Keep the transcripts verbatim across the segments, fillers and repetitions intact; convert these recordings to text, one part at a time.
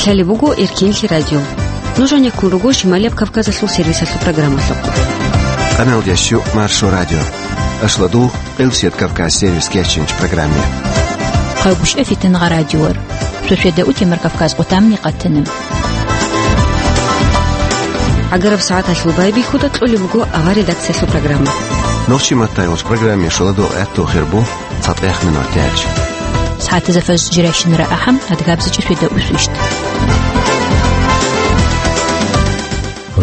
Цалеб буго Эркенлъи радио. Нуж гьанеккун руго Шималияб Кавказалъул сервисалъул программалъухъ. Къаналдящу Маршо радио. Ашладу, Къилсият Кавказ сервис кечинч программе. Хъагушев Фитнагъа радиор. Шошеда утемар Кавказ къутамни къатана. Агараб сагӀаталъул байбихьуда кьолеб буго авар редакциялъул программа. Нохчи маттайгъуч программе шоладул гӀатту хирбу. ЦатӀех минут тяч. СагӀатазда фажр жирайщинара ахӀам, адгабзичӀи шведа усвищт.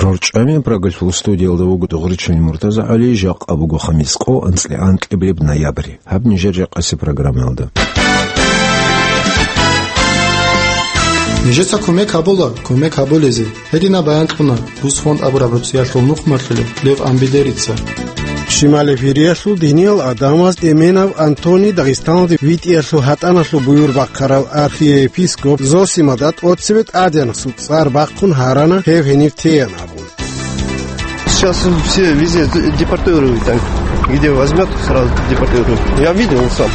РорчӀами Прагалъул студиялда вуго Дугъричил МуртазагӀали, жакъа буго хамис къо, анцӀила анкьабилеб ноябрь. Гьаб нижер жакъаси программаялда. Нижеца кумек гьабула, кумек гьабулезе. Гьединаб баян кьуна Рус фонд абураб руцӀиялъул нухмалъулев Лев Амбидерица. Шимал эфириялъул диниял гӀадамаз Эменов Антоний Дагъистаналде витӀиялъул гьатӀаналъул буюр бахъарал архиепископ Зосимада тӀоцебе тӀадегӀанасул цӀар бахъун гьарана гьев гьенив теян абун. Сейчас все везде депортируют, там, где возьмет, сразу депортируют. Я видел сам.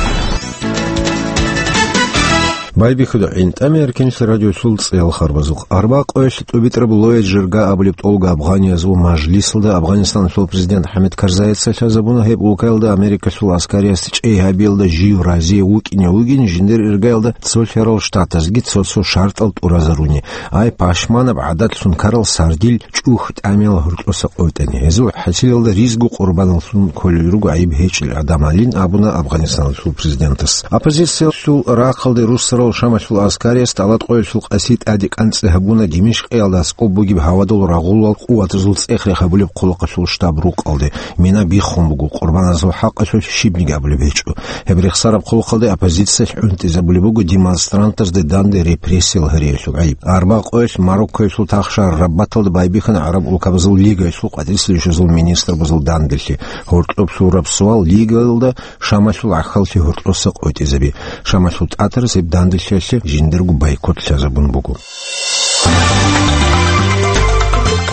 Байбихьуда гӀинтӀами Эркенлъи радиолъул цӀеял харбазухъ. Арба къоялъ тӀубитӀраб Лояд Жирга абулеб тӀолго афганиязул мажлисалда Афганистаналъул президент ХӀамид Карзайица лъазабуна гьеб улкаялда Америкалъул аскариязда чӀей гьабиялда жив разие вукӀине вугин жиндир иргаялда цолъарал штатазги цо-цо шартӀал тӀуразаруни. Ай, пашманаб гӀадатлъун ккарал сардил чӀухӀ тӀамиял гьоркьоса къотӀани. Гьезул хӀасилалда ризго къурбаналлъун кколел руго гӀайиб гьечӀел гӀадамалин, абуна Афганистаналъул президентас. Оппозициялъул рахъалде руссарал Шамалъул аскариялъ тӀалаб къоялъул къаси тӀаде кӀанцӀи гьабуна Димишкъиялда аскӀоб бугеб гьавадул рагъулал къуватазул цӀех-рех гьабулеб хъулухъалъул штаб-рукъалде. Мина биххун буго, къурбаназул хӀакъалъулъ щибниги абулеб гьечӀо. Гьеб рехсараб хъулухъалде оппозициялъ гӀунтӀизабулеб буго демонстрантазде данде репрессиял гьариялъул гӀайиб. Арба къоялъ Мароккоялъул тахшагьар Рабаталда байбихьана гӀараб улкабазул лигаялъул къватӀирсилищазул министрабазул данделъи. Гьоркьоб лъураб суал лигаялда Шамалъул гӀахьаллъи гьоркьоса къотӀизаби. Шамалъул тӀатарас гьеб данделъиялъе жиндирго бойкот лъазабун буго.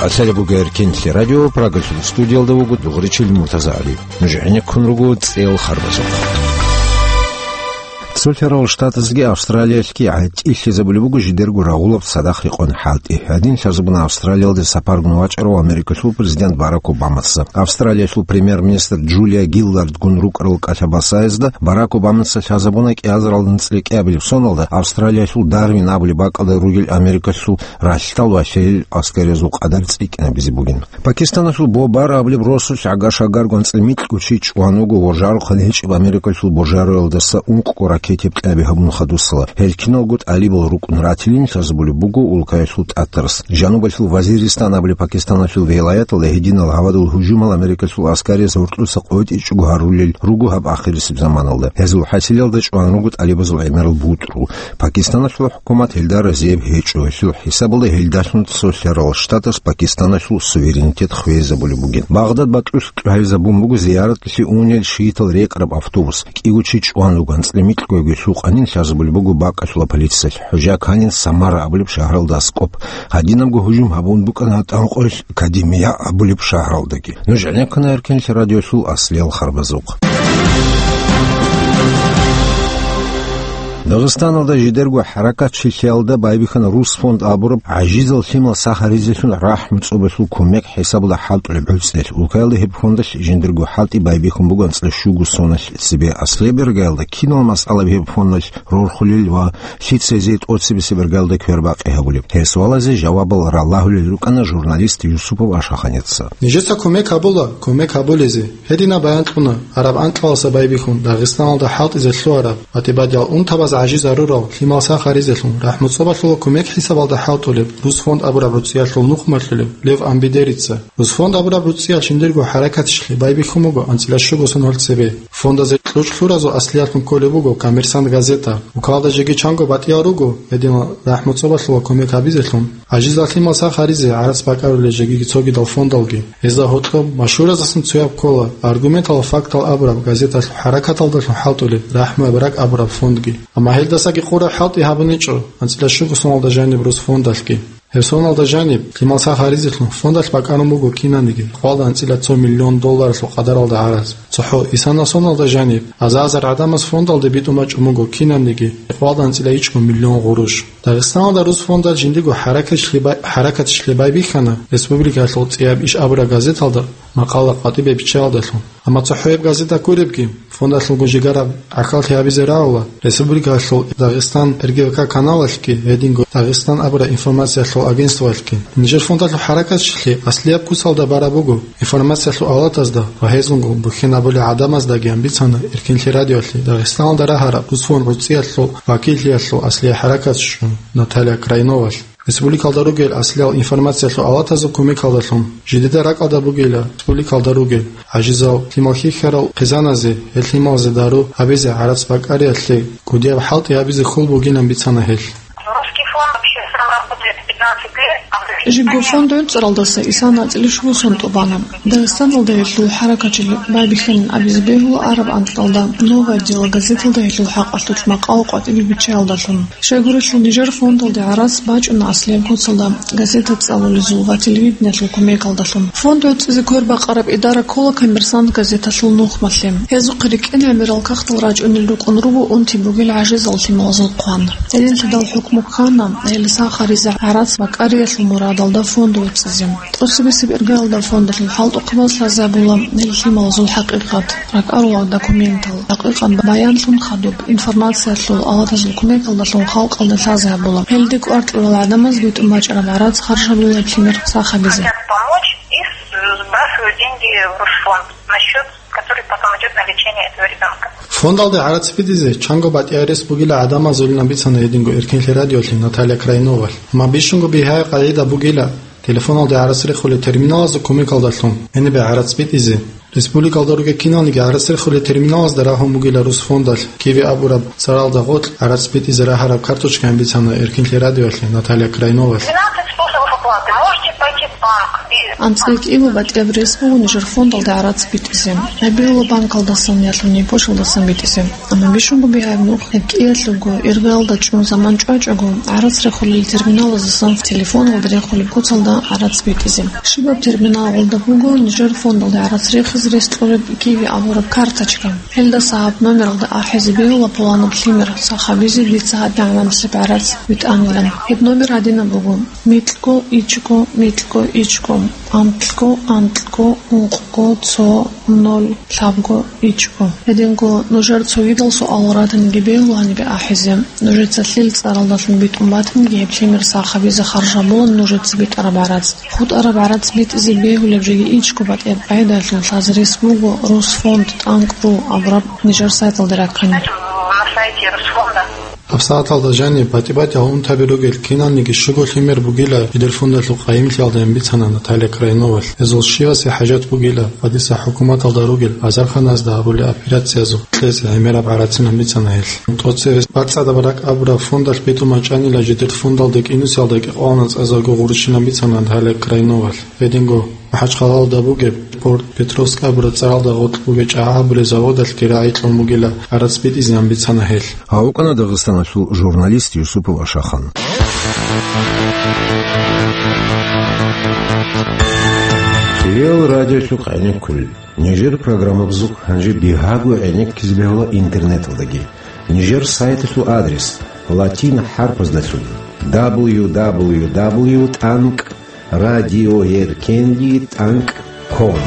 Асалабуга Эркенлъи радио, Прагалъул студиялда вуго Дугъричил МуртазагӀали. Нуж гӀенеккун руго цӀеял харбазухъ. Цолъарал Штатазги Австралиялъги гӀатӀилъизабулеб буго жидерго рагъулаб цадахъ рекъон хӀалтӀи. Гьадин лъазабуна Австралиялде сапаргун вачӀарав Америкалъул президент Барак Обамаца. Австралиялъул премьер-министр Джулия Гиллардгун рукӀарал кӀалъа-басаязда Барак Обамаца лъазабуна кӀиазарал анцӀила кӀиабилеб соналда Австралиялъул Дарвин абулеб бакӀалда ругел Америкалъул ралъдал ва лъеял аскариязул къадар цӀикӀкӀинабизе бугин. Пакистаналъул Бобар абулеб росулъ гӀага-шагарго анцӀила микьго чи чӀван вуго ва жарухъан гьечӀеб Америкалъул божароялдаса ункъго ракетаяб кьаби гьабун хадусала. Гьел киналго тӀалибал рукӀун ратилин лъазабулеб буго улкаялъул тӀатарас. Жанубалъул Вазиристан абулеб Пакистаналъул вилаяталда гьединал гьавадул гьужумал Америкалъул аскариз гьоркьоса къотӀичӀого гьарулел руго гьаб ахирисеб заманалда. Гьезул хӀасилалда чӀван руго тӀалибазул гӀемерал бутӀрул. Пакистаналъул хӀукумат гьелда разияб гьечӀо, гьелъул хӀисабалда гьелдалъун цолъарал штатас Пакистаналъул суверенитет хвезабулеб бугин. Багъдад бакьулъ тӀугьайзабун буго зияратлъи унел шиитал рекӀараб автобус. КӀиго чи чӀван руго, анцӀила микьго гьелъул къанин лъазабулеб буго бакӀалъула полициялъ. ХӀужа кканин Самара абулеб шагьаралда аскӀоб. Гьадинабго гьужум гьабун букӀана гьатӀан къоялъ Кадимия абулеб шагьаралдаги. Нуж гӀенеккана Эркенлъи радиолъул аслиял харбазухъ. Дагъистаналда жидерго хӀаракатчилъиялда байбихьана Рус фонд абураб гӀажизал лъимал сах гьаризелъун рахӀму цӀобалъул кумек хӀисабалда хӀалтӀулеб гӀуцӀел. Улкаялда гьеб фондалъ жиндирго хӀалтӀи байбихьун буго анцӀила щуго соналъ цебе. Аслияб иргаялда кинал масъалаби гьеб фондалъ рорхулел ва лъицазе тӀоцебесеб иргаялда квербакъи гьабулеб? Гьеб суалазе жавабал ралагьулел рукӀана журналист Юсупов Ашаханица. Нижеца кумек гьабула, кумек гьабулезе. Гьединаб баян кьуна, гьараб анкьаласа байбихьун, Дагъистаналда хӀалтӀизе лъугьараб ва тӀибадиял унтабаз гӀажизарурал лъимал сах гьаризелъун рахӀму цӀобалъула кумек хӀисабалда хӀалтӀулеб Рус фонд абураб руцӀиялъул нухмалъулев Лев Амбидерица. Рус фонд абураб руцӀиял жиндирго хӀаракатчилъи байбихьун буго анцӀила щуго соналъ цебе. Фондазе кьучӀ лъуразул аслиялъун кколеб буго «Коммерсант» газета. Улкалда жеги чанго батӀиял руго гьединал рахӀму цӀобалъула кумек гьабизелъун, гӀажизал лъимал сах гьаризе гӀарац бакӀарулел жегиги цогидал фондалги. Гьезда гьоркьоб машгьуразасан цояб ккола аргументал ва фактал абураб газеталъул хӀаракаталдалъун хӀалтӀулеб «РахӀму Абрак» абураб фондги. Амма гьелдасаги къураб хӀалтӀи гьабуничӀо анцӀила щуго соналда жаниб Рус фондалъги. Гьеб соналда жаниб, лъимал сах гьаризелъун фондалъ бакӀарун буго кинаниги хвалда анцӀила цо миллион долларалъул къадаралда гӀараз. ЦохӀо исана соналда жаниб, азар-азар гӀадамаз фондалде битӀун бачӀун буго кинаниги хвалда анцӀила ичӀго миллион гъурущ. Дагъистаналда рус фондал жиндиго хӀаракатчилъи бай-, хӀаракатчилъи байбихьана, республикалъул ЦӀияб иш абураб газеталда макъала къватӀибе биччаялдалъун. Амма цохӀо гьеб газета гуребги, фондалъулго жигараб гӀахьаллъи гьабизе рагӀула, республикалъул Дагъистан Р Г В К каналалъги, гьединго Дагъистан абураб информациялъул агентствоялъги. Нижер фондалъул хӀаракатчилъи аслияб куцалда бараб буго, информациялъул авлатазда ва гьезунго бухьинабулел гӀадамаздагиян бицана Эркинлъи радиоялъе Дагъистаналда рагьараб рус фонд гӀуцӀиялъул вакиллъиялъул аслияб хӀаракатчи Наталья Крайновалъ. Республикалда ругел аслиял информациялъул авлатазул кумекалдалъун, жидеда ракӀалда бугила республикалда ругел гӀажизал лъимал хьихьарал хъизаназе, гьел лъималазе дару гьабизе, гӀарац бакӀариялъе кӀудияб хӀалтӀи гьабизе хьул бугилан бицана гьел. Русский фонд вообще сам работает пятнадцать лет, а в Жиго фонд гӀуцӀаралдаса исана анцӀила щуго сон тӀубана. Дагъистаналда гьелъул хӀаракатчилъи байбихьанин абизе бегьула араб анкьалда «Новое дело» газеталда гьелъул хӀакъалъулъ макъала къватӀибе биччаялдалъун. Щайгурелъул нижер фондалде гӀарац бачӀуна аслияб куцалда газета цӀалулезул ва телевидениялъул кумекалдалъун. Фонд гӀуцӀизе квербакъараб идара ккола «Коммерсант» газеталъул нухмалъе. Гьезухъе рикӀкӀин гӀемерал кагътал рачӀунел рукӀун руго унти бугел гӀажизал лъималазул хъван. Гьединлъидал хӀукму ккана гьел сах гьаризе гӀарац бакӀариялъул мурадалда фонд гӀуцӀизе. ТӀоцебесеб иргаялда фондалъул хӀалтӀухъабаз лъазе гьабула гьел лъималазул хӀакъикъат, ракӀарулел документал, хӀакъикъат баянлъун хадуб информациялъул авлатазул кумекалдалъун халкъалда лъазе гьабула. Гьелде кӀвар кьурал гӀадамаз битӀун бачӀараб гӀарац харж гьабула гьеб лъимер сах гьабизе. Хотят помочь и с-, сбрасывают деньги в Русфонд на счёт, который потом идёт на лечение этого ребёнка. Фондалде гӀарац битӀизе чанго батӀияб рес бугила гӀадамазулин бицана гьединго Эркинлъи радиолъе Наталья Крайновалъ. Амма бищунго бигьаяб къагӀида бугила, телефоналде гӀарац рехулел терминалазул кумекалдалъун гьенибе гӀарац битӀизе. Республикалда ругел киналниги гӀарац рехулел терминалазда рагьун бугила рус фондалъ Киви абураб цӀаралда гъоркь гӀарац битӀизе рагьараб карточкаин бицана Эркинлъи радиоялъе Наталья Крайновалъ. Двенадцать способов оплаты. Можете пойти в банк и АнцӀила кӀиго батӀияб рес буго нижер фондалде гӀарац битӀизе. Гьеб бегьула банкалдасан яги почталдасан битӀизе. Амма бищунго бигьаяб нух гьеб кӀиялъулго иргаялда чӀун заман чӀвачӀого, гӀарац рехулел терминалаздасан телефоналда рехулеб куцалда гӀарац битӀизе. Щибаб терминалалда буго нижер фондалде гӀарац рехизе рес кьураб Киви абураб карточка. Гьелдаса гьаб номералда ахӀизе бегьула пуланаб лъимер сах гьабизе дица гьадин гӀамалалъе гӀарац витӀанилан. Гьеб номер гьадинаб буго: микьго ичӀго микьго ичӀго, анкьго анкьго ункъго цо ноль лъабго ичӀго. Гьединго нужер цогидал суалал ратаниги бегьула гьанибе ахӀизе. Нужеца лъил цӀаралдалъун битӀун батаниги гьеб лъимер сах гьабизе харж гьабула нужеца битӀараб гӀарац. ХутӀараб гӀарац битӀизе бегьулеб жеги ичӀго батӀияб къагӀидаялъул лъазе рес буго русфонд тӀанкӀ ру абураб нижер сайталда раккани. На сайте Русфонда. ГьабсагӀаталда жаниб батӀи-батӀиял унтаби ругел киналниги щуго лъимер бугила жидер фондалъул къайимлъиялдайин бицана Наталья Крайновалъ. Гьезул щивасе хӀажат бугила ва дица хӀукуматалда ругел азарханазда гьабулел операциязухъ кьезе гӀемераб гӀарацинан бицана гьелъ. ТӀоцебесеб бацӀцӀадаб ракӀ абураб фондалъ битӀун бачӀанила жидер фондалде кӀинусиялда кӀикъоялда цӀезарго гъурущилан бицана Наталья Крайновалъ. Гьединго МахӀачхъалалда бугеб Порт Петровск абураб цӀаралда гъоркь бугеб чӀагӀи гьабулел заводалъги рагӀи кьун бугила гӀарац битӀизеян бицана гьелъ. Гьав вукӀана Дагъистаналъул журналист Юсупов Ашахан. Кирил радиолъухъ гӀенеккулел. Нижер программабазухъ гьанже бигьаго гӀенеккизе бегьула интернеталдаги. Нижер сайталъул адрес латин хӀарпаздалъун: дабл ю дабл ю дабл ю тӀанкӀ радиоэркенлъи тӀанкӀ ком.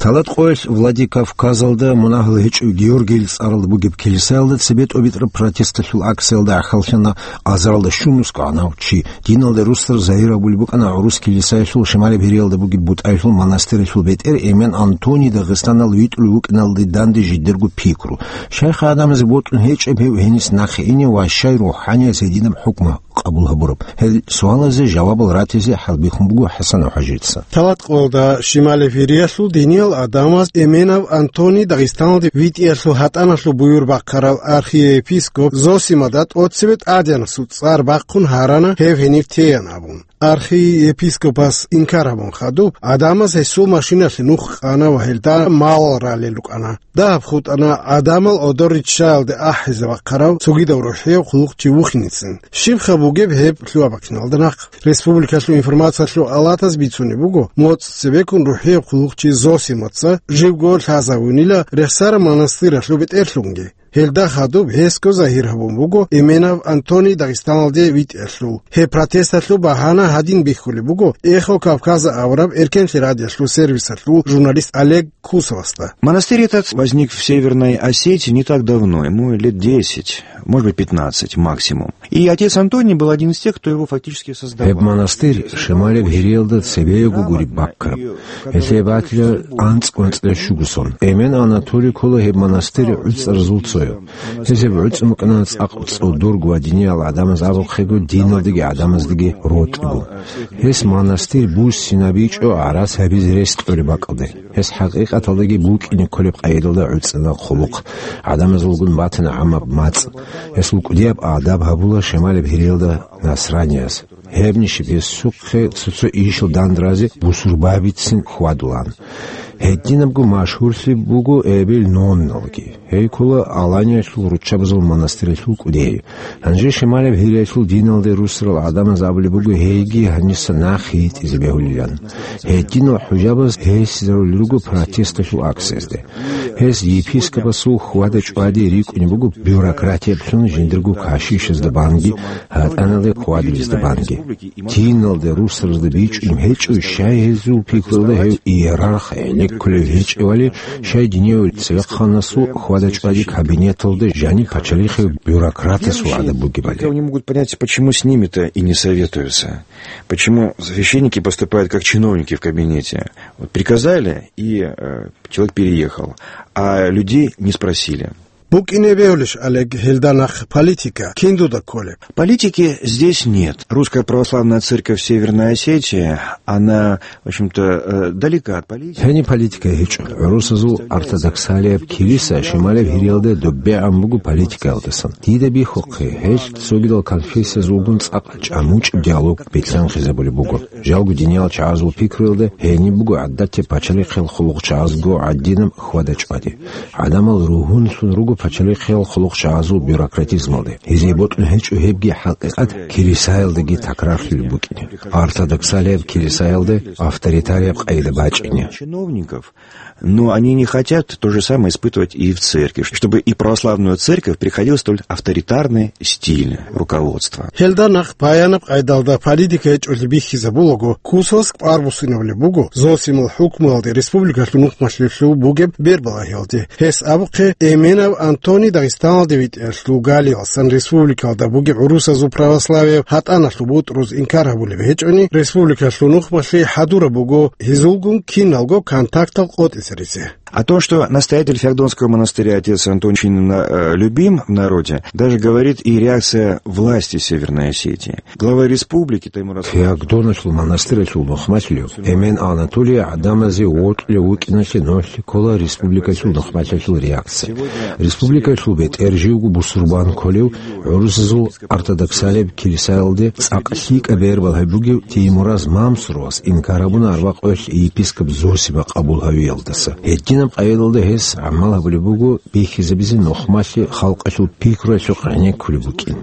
Талат къоялъ Владикавказалда мунагьал гьечӀев Георгийил цӀаралда бугеб килисаялда цебетӀ-обитӀараб протесталъул акциялда гӀахьаллъана азаралда щунусго гьанав чи. Диналда русдар загьир абулеб букӀана гӀурус килисаялъул шималаб Гьириялда бугеб бутӀаялъул монастыралъул бетӀер Эмен Антоний Дагъистаналде витӀулев вукӀиналде данде жидерго пикру. Щай-, гӀадамазе бокьун гьечӀеб гьев гьениса нахъе ине ва щай рухӀаниязда гьединаб хӀукму къабул гьабураб? Гьел суалазе жавабал ратизе хӀалбихьун буго ХӀасан ХӀажица. Талат къоялда шималаб Гьириялъул диниял Адамас Эменов Антоний Дагъистаналде витӀиялъул гьатӀаналъул буюр бахъарал архиепископ Зосимада тӀоцебе тӀадегӀанасул цӀар бахъун гьарана гьев гьенив теян абун. Архиепископас инкар гьабун хадуб, Адамас гьесул машиналъе нух къана ва гьелда малал ралел рукӀана. Дагьаб хутӀана Адамал Одор риччаялде ахӀизе бахъарав цогидав рухӀияв хъулухъчи вухиницин. Щибха бугеб гьеб лъугьа-бахъиналда нахъ? Республикалъул информациялъул алатаз бицунеб буго, моцӀ цебеккун рухӀияб хъулухъчи Зосимаца живго лъазавунила Рехсара монастыралъул бетӀерлъунги. Гьелда хадуб гьесго загьир гьабун буго Эменов Антоний Дагъистаналде витӀиялъул. Гьеб протесталъул багьана гьадин бихьулеб буго Эхо Кавказа авараб эркенлъи радиолъул сервисалъул журналист Олег Кусовасда. Монастырь этот возник в Северной Осетии не так давно, ему лет десять, может быть, пятнадцать максимум. И отец Антоний был один из тех, кто его фактически создавал. Гьеб монастырь Шималеб Гьириялда цебего гуреб баккараб. Гьелъие батила анцӀ-ванцӀила щуго сон. Эмен Анатолий ккола гьеб монастырь гӀуцӀаразул цояв. Гьез гьеб гӀуцӀун букӀана цӀакъ цӀодорго ва диниял гӀадамаз абухъего, диналдаги гӀадамаздаги рокьго. Гьес монастырь буссинабичӀо гӀарац гьабизе рес кьолеб бакӀалде. Гьес хӀакъикъаталдаги букӀине кколеб къайдалда гӀуцӀана хъулухъ, гӀадамазулгун батана гӀамаб мацӀ. Гьес лукӀудияб адаб гьабула Шималеб Гьириялда насранияз. Гьебнищиб гьесухъе цо-цо ишал дандразе бусурбабицин хьвадулаан. Гьединабго машгьурлъи буго эбел-нонналги. Гьей ккола Аланиялъул руччабазул монастыралъул кӀудияй. Гьанже Шималеб Гьириялъул диналде русарал гӀадамаз абулеб буго гьейги гьаниса нахъ йитӀизе бегьулилан. Гьединал хӀужабаз гьесизарулел руго протесталъул акциязде. Гьес епископасул хьвада-чӀвади рикӀкӀунеб буго бюрократиялъун жиндирго кашишазда банги, гьатӀаналде хьвадулезда банги. Диналде русаразда бичӀчӀун гьечӀо, щай гьезул пикруялда гьев иерарх гӀенеккулев гьечӀевали, щай динияв цевехъанасул хьвада-чӀвади кабинеталда жаниб пачалихъев бюрократасул гӀадаб бугебали. Они могут понять, почему с ними-то и не советуются. Почему священники поступают как чиновники в кабинете? Вот приказали, и, э, человек переехал, а людей не спросили. БукӀине бегьулищ, Олег, гьелда нахъ политика кин дуда кколеб? Политики здесь нет. Русская православная церковь Северной Осетии, она, в общем-то, э, далека от политики. Гьениб политика гьечӀо. ГӀурусазул ортодоксалияб килиса Шималеб Гьириялда добегӀан буго политикаялдасан. Дида бихьухъе, гьелъ цогидал конфессиязулгун цӀакъ чӀамучӀеб диалог бетӀергьанхъизабулеб буго. Жалго диниял чагӀазул пикруялда гьениб буго гӀадатияб пачалихъал хъулухъчагӀазго гӀадинаб хьвада-чӀвади. ГӀадамал ругьунлъун руго пачалихъал хъулухъчагӀазул бюрократизмалде. Гьезие бокьун гьечӀо гьебги хӀакъикъат килисаялдаги такрарлъулеб букӀине. Ортодоксалияб килисаялда авторитарияб къайда бачӀине. Чиновников, но они не хотят то же самое испытывать и в церкви, чтобы и православную церковь приходил столь авторитарный стиль руководства. Гьелда нахъ баянаб къайдалда политика гьечӀолъи бихьизабулаго, Кусовас кӀвар буссинабулеб буго Зосимал хӀукмуялде республикалъул нухмалъулъул бугеб бербалагьиялде. Гьес абухъе, Эменов Антоний Дагъистаналде витӀиялъул галиялсан республикалда бугеб гӀурусазул православияб гьатӀаналъул бутӀруз инкар гьабулеб гьечӀони, республикалъул нухмалъи хӀадураб буго гьезулгун киналго контактал къотӀизаризе. О том, что настоятель Феогдонского монастыря отец Антон очень на-, э, любим в народе, даже говорит и реакция власти Северной Осетии. Глава республики Таймураз Феогдоналъул монастыралъул нухмалъулев Эмен Анатолий гӀадамазе вокьулев вукӀиналъе нолъи ккола республикалъул нухмалъалъул реакция. Республикалъул бетӀер живго бусурбан кколев гӀурусазул ортодоксалияб килисаялде цӀакъ лъикӀаб бербал гьабугев Теймураз Мамсуровас инкар гьабуна арбакъоялъ епископ Зосима къабул гьавиялдаса. Гьединаб къайдалда гьес гӀамал гьабулеб буго бихьизабизе нухмалъи халкъалъул пикруялъухъ гӀенеккулеб букӀин.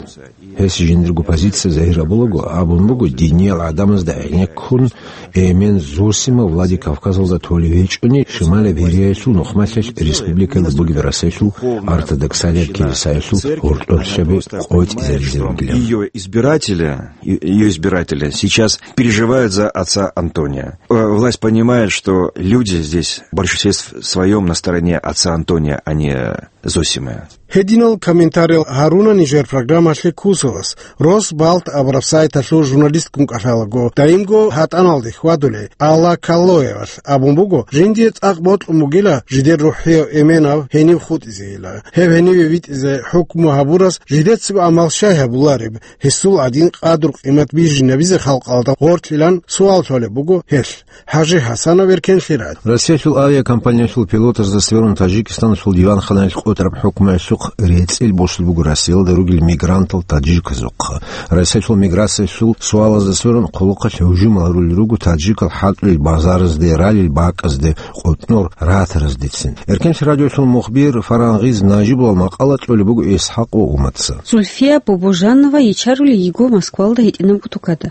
Гьес жиндирго позиция загьир гьабулаго абун буго, диниял гӀадамазда гӀенеккун Эмен Зосима Владикавказалда толев гьечӀони, Шималаб Гьириялъул нухмалъалъ республикаялда бугеб Расулъул ортодоксалияб килисаялъул гьоркьорлъаби къотӀизаризе ругилан. Её избиратели, е-, её избиратели сейчас переживают за отца Антония. Э, власть понимает, что люди здесь в большинстве с-, своём на стороне отца Антония, а не Зосимы. Гьединал комментариял гьаруна нижер программалъе ккусалас, Росбалт абураб сайталъул журналистгун кӀалъалаго, дайимго гьатӀаналде хьвадулей Алла Каллоевалъ абун буго, жиндие цӀакъ бокьун бугила жидер рухӀияв эменав гьенив хутӀизейила. Гьеб гьениве витӀизе хӀукму гьабурас жидецаго амал щай гьабулареб, гьесул гӀадин къадру-къимат бижинабизе халкъалда гъорлъилан суал лъолеб буго гьелъ. Хажи Хасанов, Эркенлъи радио. Россиялъул авиакомпаниялъул пилотазда сверун Таджикистаналъул диванханаялъ къотӀараб хӀукмуялъухъ рецӀил босулеб буго Россиялда ругел мигрантал таджиказухъ. Россиялъул миграциялъул суалазда сверун хъулухъалъ гьужумал гьарулел руго таджикал хӀалтӀулел базаразде, ралел бакӀазде, къотӀнор ратараздецин. Эркенлъи радиолъул мухбир Фарангъиз Нажибулал макъала кьолеб буго ИсхӀакъ ва Уматца. Зульфия Бобожанова йичарулей йиго Москвалда гьитӀинабго тукада.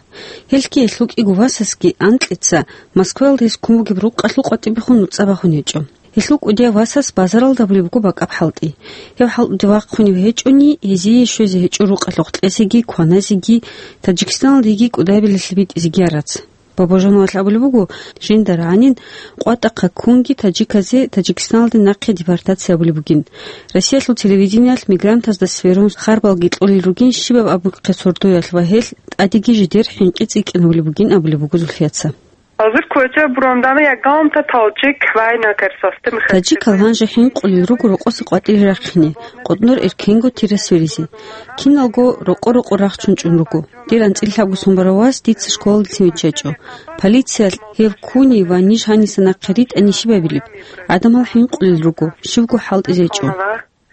Гьелъги гьелъул кӀиго васасги анкьица Москваялда гьес ккун бугеб рукъалъул къватӀибехун нуцӀа бахун гьечӀо. Гьелъул кӀудияв васас базаралда абулеб буго бакӀаб хӀалтӀи. Гьев хӀалтӀуде вахъунев гьечӀони, гьезие щвезе гьечӀо рукъалъухъ кьезеги, кваназеги, Таджикистаналдеги кӀудабилелъе битӀизеги арац. Бабожановалъ абулеб буго, жинда рагӀанин къватӀахъа ккунги таджиказе Таджикистаналде нахъе депортация абулеб бугин. Россиялъул телевидениялъ мигрантазда сверун харбалги кьолел ругин щибаб абухъе сордоялъ ва гьелъ тӀадеги жидер хӀинкъи цӀикӀкӀинабулеб бугин абулеб буго Зульфияца. Гьазир квеча бурандана ягъанта талчик вайна керсасте мехалъ. Таджикал гьанже хӀинкъулел руго рокъосе къватӀире рахъине, къотӀнор эркенго тира сверизе. Киналго рокъо-рокъо рахчун чӀун руго. Дир анцӀила лъабго сон барав вас дица школалдецин виччачӀо. Полициялъ гьев ккуни ва ниж гьаниса нахъе ритӀани щиб абилеб? ГӀадамал хӀинкъулел руго, щивго хӀалтӀизечӀо.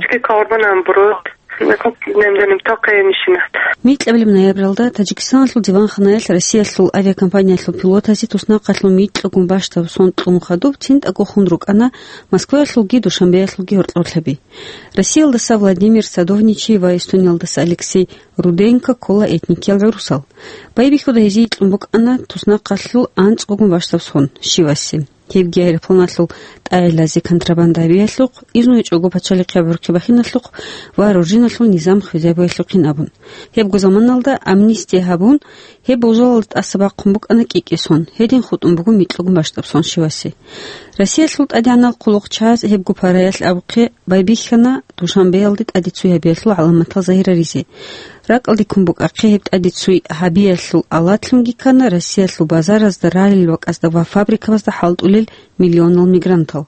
Чки корбанан бурут, нехъ немденим токъе нишинат. Микьабилеб ноябралда Таджикистаналъул диванханаялъ Россиялъул авиакомпаниялъул пилотазе туснахъалъул микьагун бащдаб сон кьун хадуб цинтӀаго хун рукӀана Москваялъулги Душанбеялъулги гьоркьорлъаби. Россиялдаса Владимир Садовничий ва Эстониялдаса Алексей Руденко ккола этникиял гӀурусал. Байбихьуда гьезие кьун букӀана туснахъалъул анцӀгогун бащдаб сон, щивасе. Гьебги аэропланалъул тӀагӀелазе контрабанда гьабиялъухъ, изну гьечӀого пачалихъ гӀурхъи бахиналъухъ ва ружиналъул низам хвезабиялъухъин абун. Гьебго заманалда амнистия гьабун, гьеб болжалалда тӀаса бахъун букӀана кӀикӀе сон, гьедин хутӀун буго микьагун бащдаб сон щивасе. Россиялъул тӀадегӀанал хъулухъчагӀаз гьебго параялъ абухъе байбихьана Душанбеялде тӀаде цуй гьабиялъул гӀаламатал загьираризе. РакӀалде ккун букӀахъе гьеб тӀаде цуй гьабиялъул алатлъунги ккана Россиялъул базаразда, ралел бакӀазда ва фабрикабазда хӀалтӀулел миллионал мигрантал.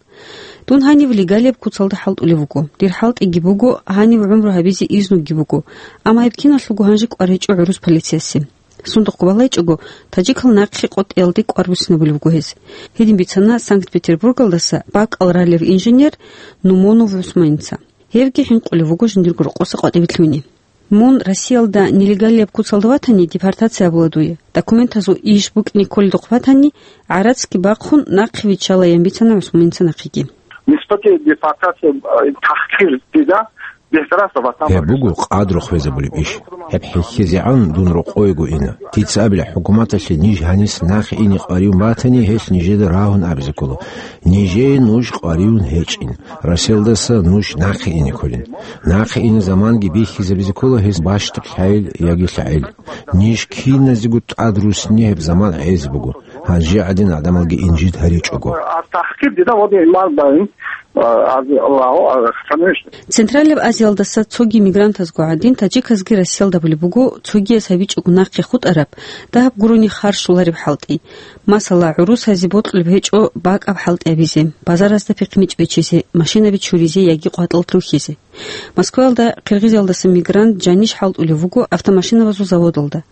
Дун гьанив легалияб куцалда хӀалтӀулев вуго. Дир хӀалтӀиги буго, гьанив гӀумру гьабизе изнуги буго. Амма гьеб киналъулго гьанже кӀвар гьечӀо гӀурус полициясе. Сундухъ балайчӀого, таджикал нахъе къотӀиялде кӀвар буссинабулеб буго гьез. Гьедин бицана Санкт-Петербургалдаса бакӀал ралев инженер Нумонов ГӀусманца. Гьевги хӀинкъулев вуго жиндирго рокъоса къватӀибе лъугьине. Мун Россиялда нелегалияб куцалда ватани, депортация абула дуе. Документазул иш букӀине кколедухъ ватани, гӀарацги бахъун, нахъе виччалаян бицана ГӀусманца нахъеги. Нисбати депортация, э, тахкир дида бехтараса ватан. Гьеб буго къадру хвезабулеб иш. Гьеб хӀехьезегӀан дун рокъойго ина. Дица абила, хӀукуматалъе ниж гьанис нахъе ине къваригӀун батани, гьелъ нижеда рагьун абизе ккола. Нижее нуж къваригӀун гьечӀин. Россиялдаса нуж нахъе ине кколин. Нахъе ине заманги бихьизабизе ккола гьез бащдаб лъагӀел яги лъагӀел. Ниж киназего тӀад русни гьеб заман гӀезе буго, гьанже гӀадин гӀадамалги инжит гьаричӀого. Централияб Азиялдаса цоги мигрантазго гӀадин, таджиказги Россиялда абулеб буго, цогияз гьабичӀого нахъе хутӀараб, дагьаб гурони харщулареб хӀалтӀи. Масала, гӀурусазе бокьулеб гьечӀо бакӀаб хӀалтӀи гьабизе, базаразда пихъиничӀ бечизе, машинаби чуризе яги къватӀал лъухьизе. Москваялда Киргизиялдаса мигрант жаниш хӀалтӀулев вуго автомашинабазул заводалда.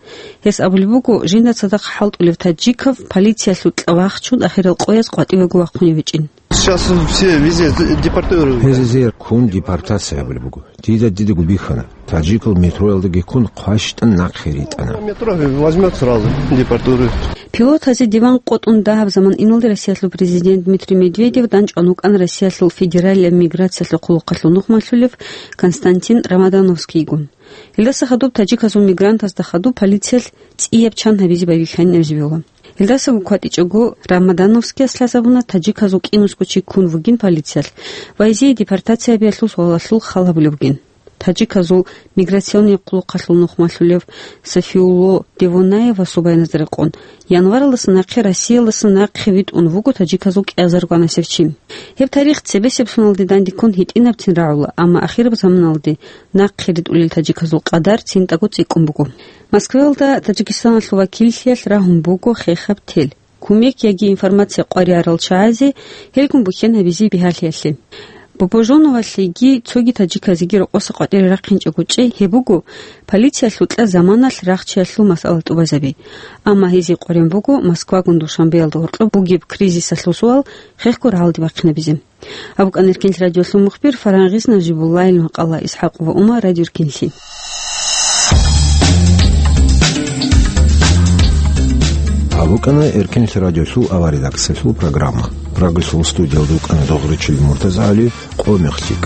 Гьес абулеб буго, жинда цадахъ хӀалтӀулев таджиков полициялъул кьавахчун ахирал къояз къватӀивего вахъунев гьечӀин. Сейчас все везде депортируют. Гьезие ккун депортация гьабулеб буго. Дида дидаго бихьана. Таджикал метроялдаги ккун хъващтӀан нахъе ритӀана. Метро возьмёт сразу, депортируют. Пилотазе диван къотӀун дагьаб заман иналде Россиялъул президент Дмитрий Медведев данчӀван вукӀана Россиялъул федералияб миграциялъул хъулухъалъул нухмалъулев Константин Рамадановскийгун. Гьелдаса хадуб таджиказул мигрантазда хадуб полициялъ цӀияб чан гьабизе байбихьанин абизе бегьула. Гьелдасаго кватӀичӀого Рамадановскияс лъазабуна таджиказул кӀинусго чи ккун вугин полициялъ ва гьезие депортация гьабиялъул суалалъул хал гьабулеб бугин. Таджиказул миграционный хъулухъалъул нухмалъулев Сафиулло Девонаевасул баяназда рекъон, январалдаса нахъе Россиялдаса нахъе витӀун вуго таджиказул кӀиазарго анасев чи. Гьеб тарих цебесеб соналде дандеккун гьитӀинабцин рагӀула, амма ахираб заманалде нахъе ритӀулел таджиказул къадар цинтӀаго цӀикӀкӀун буго. Москваялда Таджикистаналъул вакиллъиялъ рагьун буго хехаб тел, кумек яги информация къваригӀарал чагӀазе гьелгун бухьен гьабизе бигьалъиялъе. Бопожоновалъеги цоги таджиказеги рокъоса къватӀире рахъинчӀого чӀей гьеб буго полициялъукьа заманалъ рахчиялъул масъала тӀубазаби. Амма гьезие къваригӀун буго Москвагун Душанбеялда гьоркьоб бугеб кризисалъул суал хехго рагӀалде бахъинабизе. Гьаб букӀана Эркенлъи радиолъул мухбир Фарагъиз Нажибуллаил макъала. ИсхӀакъ ва Умар, Радио Эркенлъи. Гьаб букӀана Эркенлъи радиолъул авария редакциялъул программа. Прагасул студиялда вукӀана Догъричил МуртазагӀали, Къо-мехтик.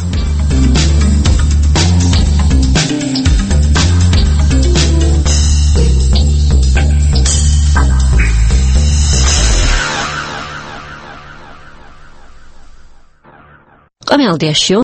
Къамиялдиящио